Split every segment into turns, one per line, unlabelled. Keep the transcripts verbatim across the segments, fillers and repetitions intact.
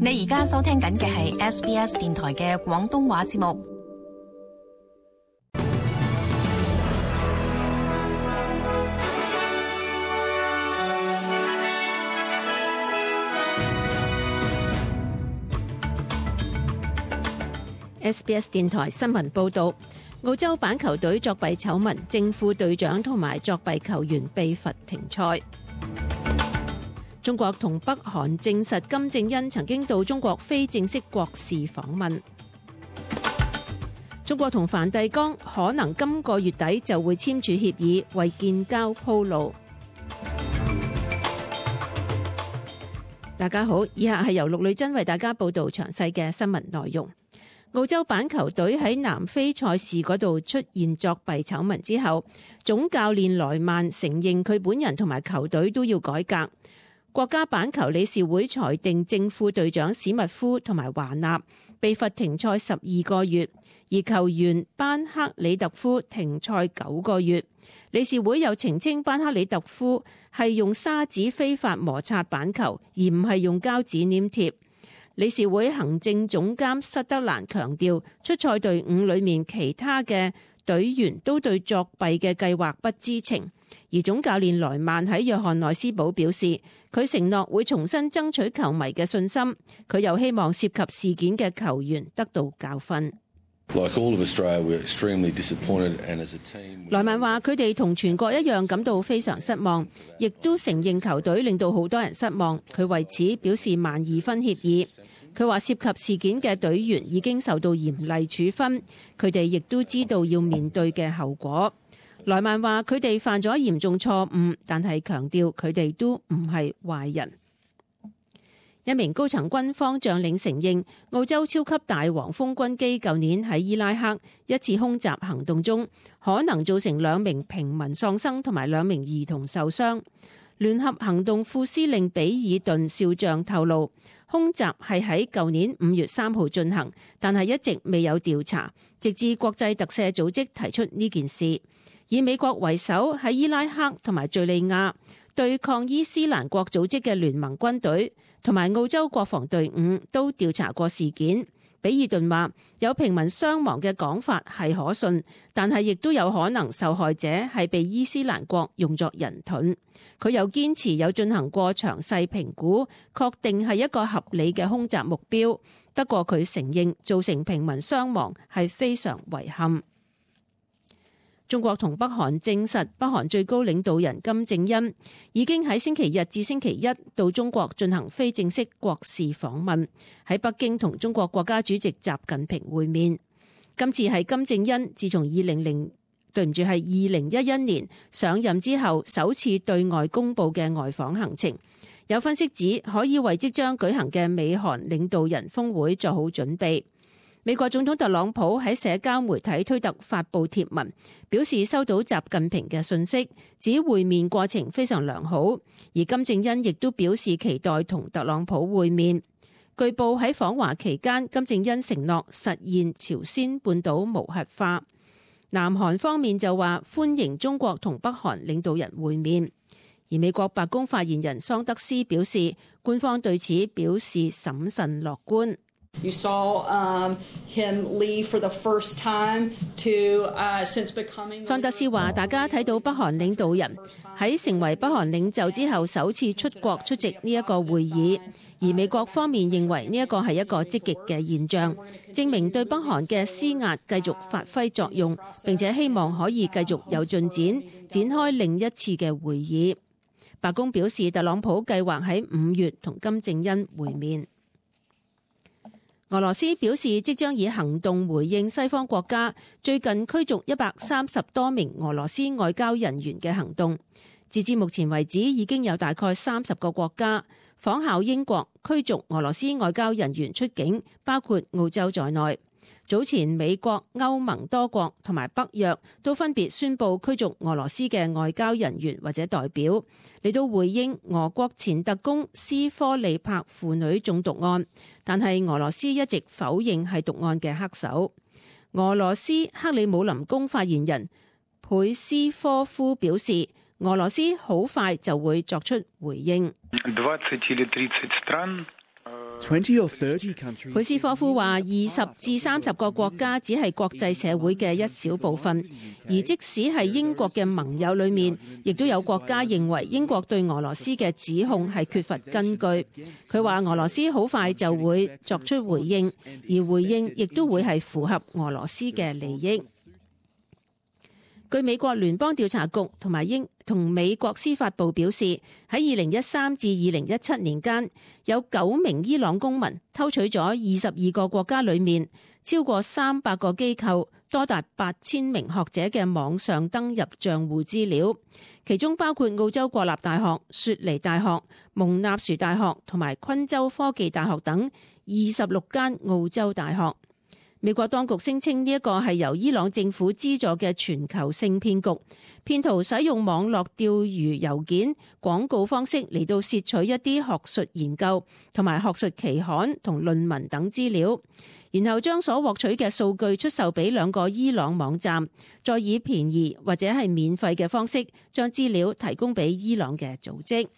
你而家收聽緊嘅係 S B S 電台嘅廣東話節目。
S B S 電台新聞報道，澳洲板球隊作弊醜聞，正副隊長同埋作弊球員被罰停賽。中國同北韓證實金正恩曾經到中國非正式國事訪問。中國同梵蒂岡可能今個月底就會簽署協議，為建交鋪路。大家好，以下係由陸女珍為大家報道詳細嘅新聞內容。澳洲板球隊喺南非賽事嗰度出現作弊醜聞之後，總教練萊曼承認佢本人同埋球隊都要改革。國家板球理事會裁定正副隊長史密夫同埋華納被罰停賽十二個月，而球員班克里特夫停賽九個月。理事會又澄清班克里特夫係用砂紙非法摩擦板球，而唔係用膠紙黏貼。理事會行政總監塞德蘭強調，出賽隊伍裏面其他嘅隊員都對作弊嘅計劃不知情。而總教練萊曼喺約翰內斯堡表示，佢承諾會重新爭取球迷嘅信心。佢又希望涉及事件嘅球員得到教訓。萊曼話：佢哋同全國一樣感到非常失望，亦都承認球隊令到好多人失望。佢為此表示萬二分歉意。佢話涉及事件嘅隊員已經受到嚴厲處分，佢哋亦都知道要面對嘅後果。萊曼話：佢哋犯咗嚴重錯誤，但係強調佢哋都唔係壞人。一名高層軍方將領承認，澳洲超級大黃蜂軍機舊年喺伊拉克一次空襲行動中，可能造成兩名平民喪生同埋兩名兒童受傷。聯合行動副司令比爾頓少將透露，空襲係喺舊年五月三號進行，但係一直未有調查，直至國際特赦組織提出呢件事。以美國為首喺伊拉克同埋敘利亞對抗伊斯蘭國組織嘅聯盟軍隊同埋澳洲國防隊伍都調查過事件。比爾頓話，有平民傷亡嘅講法係可信，但係亦都有可能受害者係被伊斯蘭國用作人盾。佢又堅持有進行過詳細評估，確定係一個合理嘅空襲目標。不過佢承認造成平民傷亡係非常遺憾。中國同北韓證實，北韓最高領導人金正恩已經喺星期日至星期一到中國進行非正式國事訪問，喺北京同中國國家主席習近平會面。今次係金正恩自從二零零對唔住係二零一一年上任之後首次對外公佈嘅外訪行程。有分析指可以為即將舉行嘅美韓領導人峰會做好準備。美國總統特朗普喺社交媒體推特發布貼文，表示收到習近平嘅信息，指會面過程非常良好。而金正恩亦都表示期待同特朗普會面。據報喺訪華期間，金正恩承諾實現朝鮮半島無核化。南韓方面就話歡迎中國同北韓領導人會面。而美國白宮發言人桑德斯表示，官方對此表示審慎樂觀。
You saw, um, him leave for the first time to, uh, since becoming...
桑德斯話：大家睇到北韓領導人喺成為北韓領袖之後首次出國出席呢一個會議，而美國方面認為呢一個係一個積極嘅現象，證明對北韓嘅施壓繼續發揮作用，並且希望可以繼續有進展，展開另一次嘅會議。白宮表示，特朗普計劃喺五月同金正恩會面。俄羅斯表示，即將以行動回應西方國家最近驅逐一百三十多名俄羅斯外交人員嘅行動。截至目前為止，已經有大概三十個國家仿效英國驅逐俄羅斯外交人員出境，包括澳洲在內。早前美國、歐盟多國同埋北約都分別宣布驅逐俄羅斯嘅外交人員或者代表，嚟到回應俄國前特工斯科利帕父女中毒案，但係俄羅斯一直否認係毒案嘅黑手。俄羅斯克里姆林宮發言人佩斯科夫表示，俄羅斯好快就會作出回應。佩斯科夫話：二十至三十個國家只係國際社會嘅一小部分，而即使係英國嘅盟友裏面，亦都有國家認為英國對俄羅斯嘅指控係缺乏根據。佢話俄羅斯好快就會作出回應，而回應亦都會係符合俄羅斯嘅利益。據美國聯邦調查局同埋英同美國司法部表示，喺二零一三至二零一七年間，有九名伊朗公民偷取咗二十二個國家裏面超過三百個機構多達八千名學者嘅網上登入賬戶資料，其中包括澳洲國立大學、雪梨大學、蒙納殊大學同埋昆州科技大學等二十六間澳洲大學。美國當局聲稱呢一個係由伊朗政府資助嘅全球性騙局，騙徒使用網絡釣魚郵件、廣告方式嚟到竊取一啲學術研究同埋學術期刊同論文等資料，然後將所獲取嘅數據出售俾兩個伊朗網站，再以便宜或者係免費嘅方式將資料提供俾伊朗嘅組織。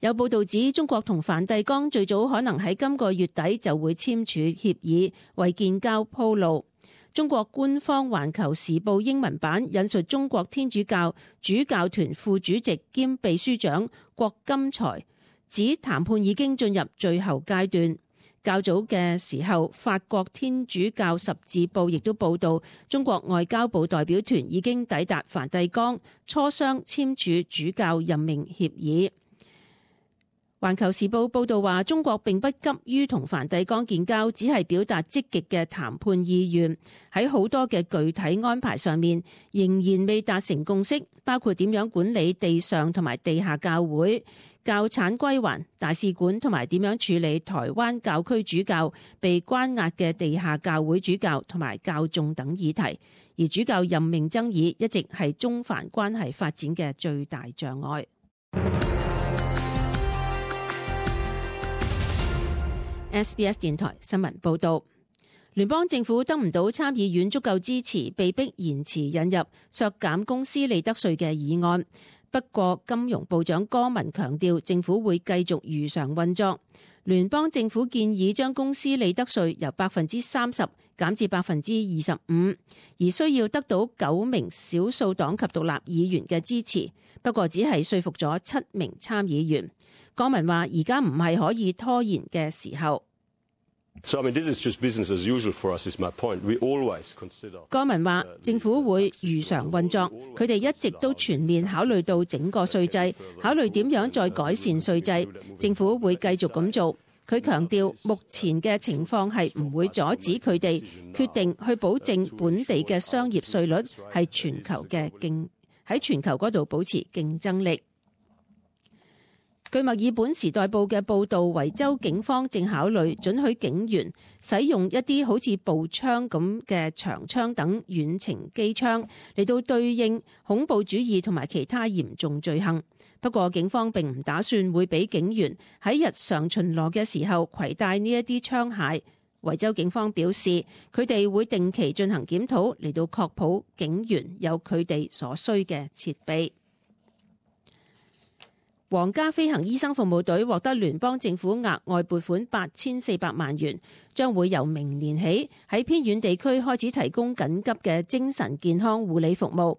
有報道指，中國同梵蒂岡最早可能喺今個月底就會簽署協議，為建交鋪路。中國官方《環球時報》英文版引述中國天主教主教團副主席兼秘書長郭金才指，談判已經進入最後階段。較早嘅時候，法國天主教十字報亦都報道，中國外交部代表團已經抵達梵蒂岡，磋商簽署主教任命協議。環球時報報道話，中國並不急於同梵蒂岡建交，只係表達積極嘅談判意願。喺好多嘅具體安排上面，仍然未達成共識，包括點樣管理地上同埋地下教會、教產歸還、大使館同埋點樣處理台灣教區主教被關押嘅地下教會主教同埋教眾等議題。而主教任命爭議一直係中梵關係發展嘅最大障礙。S B S 電台新聞報道，聯邦政府得唔到參議院足夠支持，被迫延遲引入削減公司利得稅嘅議案。不過，金融部長戈文強調，政府會繼續如常運作。聯邦政府建議將公司利得稅由百分之三十減至百分之二十五，而需要得到九名少數黨及獨立議員嘅支持。不過，只係說服咗七名參議員。戈文話：而家唔係可以拖延嘅時候。
So, I mean, this is just business as usual for us, is my point. We always consider.
戈文話：政府會如常運作，佢哋一直都全面考慮到整個稅制，考慮點樣再改善稅制。政府會繼續咁做。佢強調，目前嘅情況係唔會阻止佢哋決定去保證本地嘅商業稅率係全球嘅競喺全球嗰度保持競爭力。據墨爾本時代報嘅報導，維州警方正考慮准許警員使用一啲好似步槍咁嘅長槍等遠程機槍嚟到對應恐怖主義同埋其他嚴重罪行。不過警方並唔打算會俾警員喺日常巡邏嘅時候攜帶呢一啲槍械。維州警方表示，佢哋會定期進行檢討嚟到確保警員有佢哋所需嘅設備。皇家飛行醫生服務隊獲得聯邦政府額外撥款八千四百萬元，將會由明年起喺偏遠地區開始提供緊急嘅精神健康護理服務。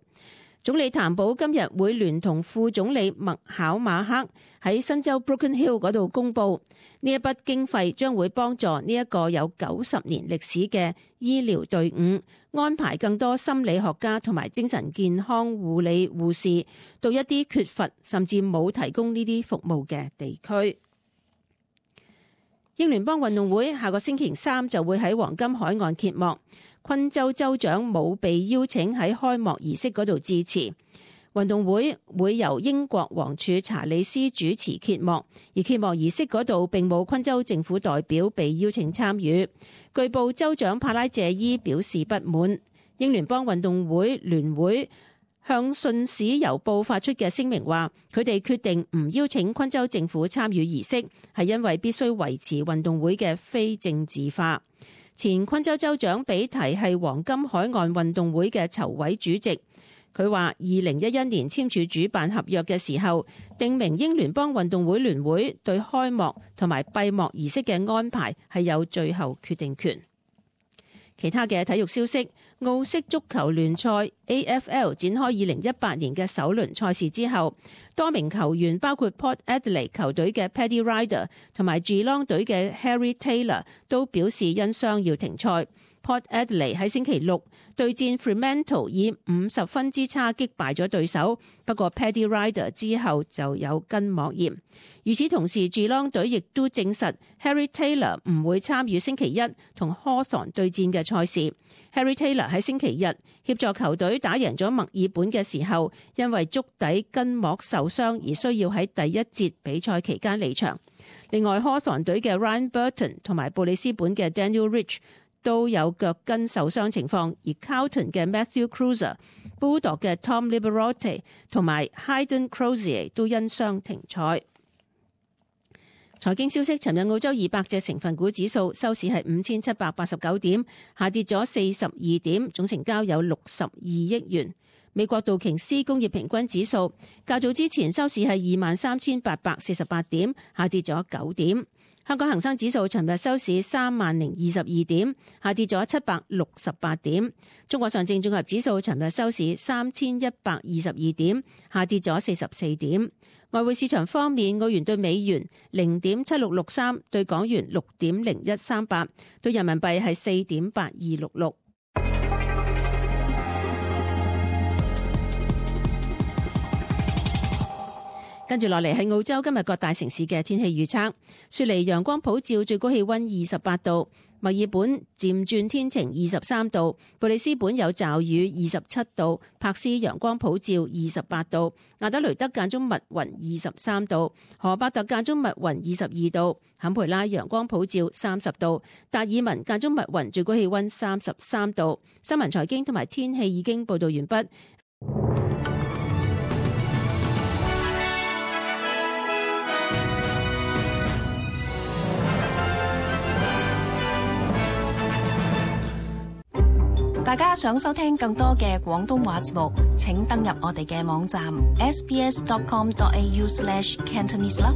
總理譚寶今日會聯同副總理麥考馬克喺新州 Broken Hill 嗰度公布，呢一筆經費將會幫助呢一個有九十年歷史嘅醫療隊伍安排更多心理學家同埋精神健康護理護士到一啲缺乏甚至冇提供呢啲服務嘅地區。英聯邦運動會下個星期三就會喺黃金海岸揭幕。昆州州長冇被邀請喺開幕儀式嗰度致辭。運動會會由英國王儲查理斯主持揭幕，而揭幕儀式嗰度並冇昆州政府代表被邀請參與。據報州長帕拉謝伊表示不滿。英聯邦運動會聯會向信使郵報發出嘅聲明話，佢哋決定唔邀請昆州政府參與儀式，係因為必須維持運動會嘅非政治化。前昆州州長比提係黃金海岸運動會嘅籌委主席，佢話二零一一年簽署主辦合約嘅時候，定明英聯邦運動會聯會對開幕同埋閉幕儀式嘅安排係有最後決定權。其他嘅體育消息，澳式足球聯賽 A F L 展開二零一八年嘅首輪賽事之後，多名球員包括 Port Adelaide 球隊嘅 Paddy Ryder 同埋 Geelong 隊嘅 Harry Taylor 都表示因傷要停賽。Port Adelaide 喺星期六對戰 Fremantle 以五十分之差擊敗咗對手，不過 Paddy Ryder 之後就有筋膜炎。與此同時 Geelong 隊亦都證實 Harry Taylor 唔會參與星期一同 Hawthorn 對戰嘅賽事。Harry Taylor 喺星期日協助球隊打贏咗墨爾本嘅時候，因為足底筋膜受傷而需要喺第一節比賽期間離場。另外 Hawthorn 隊嘅 Ryan Burton 同埋布里斯本嘅 Daniel Rich都有腳筋受傷情況，而 Carlton 嘅 Matthew Cruiser、Bulldog 嘅 Tom Liberote 同埋 Hayden Crozier 都因傷停賽。財經消息，尋日澳洲二百隻成分股指數收市係五千七百八十九點，下跌咗四十二點，總成交有六十二億元。美國道瓊斯工業平均指數較早之前收市係二萬三千八百四十八點，下跌咗九點。香港恒生指數尋日收市三萬零二十二點，下跌咗七百六十八點。中國上證綜合指數尋日收市三千一百二十二點，下跌咗四十四點。外匯市場方面，澳元對美元零點七六六三，對港元六點零一三八，對人民幣係四點八二六六。跟住落嚟係澳洲今日各大城市嘅天氣預測。雪梨陽光普照，最高氣溫二十八度；墨爾本漸轉天晴，二十三度；布里斯本有驟雨，二十七度；柏斯陽光普照，二十八度；亞德雷德間中密雲，二十三度；荷伯特間中密雲，二十二度；坎培拉陽光普照，三十度；達爾文間中密雲，最高氣溫三十三度。新聞財經同埋天氣已經報道完畢。
大家想收聽更多嘅廣東話節目，請登入我哋嘅網站 s b s dot com dot a u slash cantonese 啦。